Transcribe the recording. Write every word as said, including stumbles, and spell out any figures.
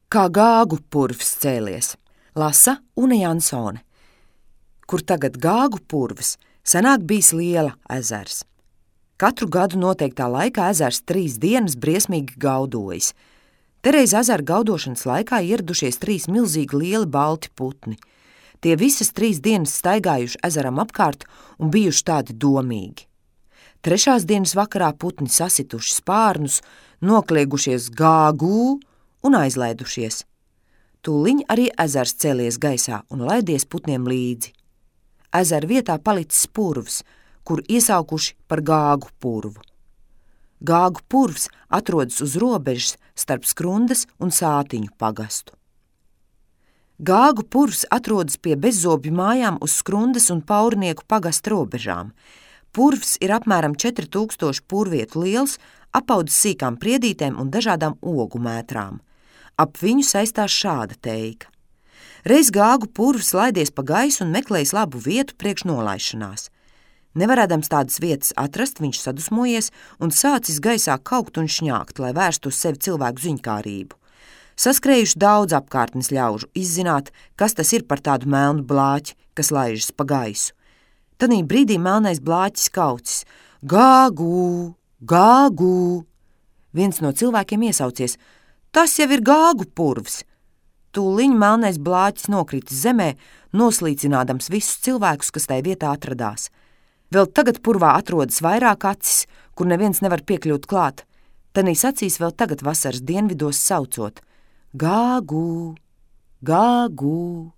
Kā Gāgu purvs cēlies. Lasa Une Jansone. Kur tagad Gāgu purvs, senāk bijis Liela ezers. Katru gadu noteiktā laikā ezers trīs dienas briesmīgi gaudojas. Tereiz ezera gaudošanas laikā ieradušies trīs milzīgi lieli balti putni. Tie visas trīs dienas staigājuši ezeram apkārt un bijuši tādi domīgi. Trešās dienas vakarā putni sasituši spārnus, nokliegušies Gāgū un aizlaidušies. Tūliņ arī ezers cēlies gaisā un laidies putniem līdzi. Ezera vietā palicis purvs, kur iesaukuši par Gāgu purvu. Gāgu purvs atrodas uz robežas starp Skrundas un Sātiņu pagastu. Gāgu purvs atrodas pie bezzobju mājām uz Skrundas un Paurnieku pagasta robežām. Purvs ir apmēram četri tūkstoši purvietu liels, apaudzis sīkām priedītēm un dažādām ogu mētrām. Ap viņu saistās šāda teika. Reiz Gāgu purvs laidies pa gaisu un meklējis labu vietu priekš nolaišanās. Nevarēdams tādas vietas atrast, viņš sadusmojies un sācis gaisā kaukt un šņākt, lai vērstu uz sevi cilvēku ziņkārību. Saskrējuši daudz apkārtnes ļaužu izzināt, kas tas ir par tādu melnu blāķi, kas laižas pa gaisu. Tanī brīdī melnais blāķis kaucis: Gāgu, Gāgu! Viens no cilvēkiem iesaucies: tas jau ir Gāgu purvs! Tūliņ melnais blāķis nokritis zemē, noslīcinādams visus cilvēkus, kas tai vietā atradās. Vēl tagad purvā atrodas vairāk acis, kur neviens nevar piekļūt klāt. Tanīs acīs vēl tagad vasaras dienvidos saucot: Gāgu, Gāgu!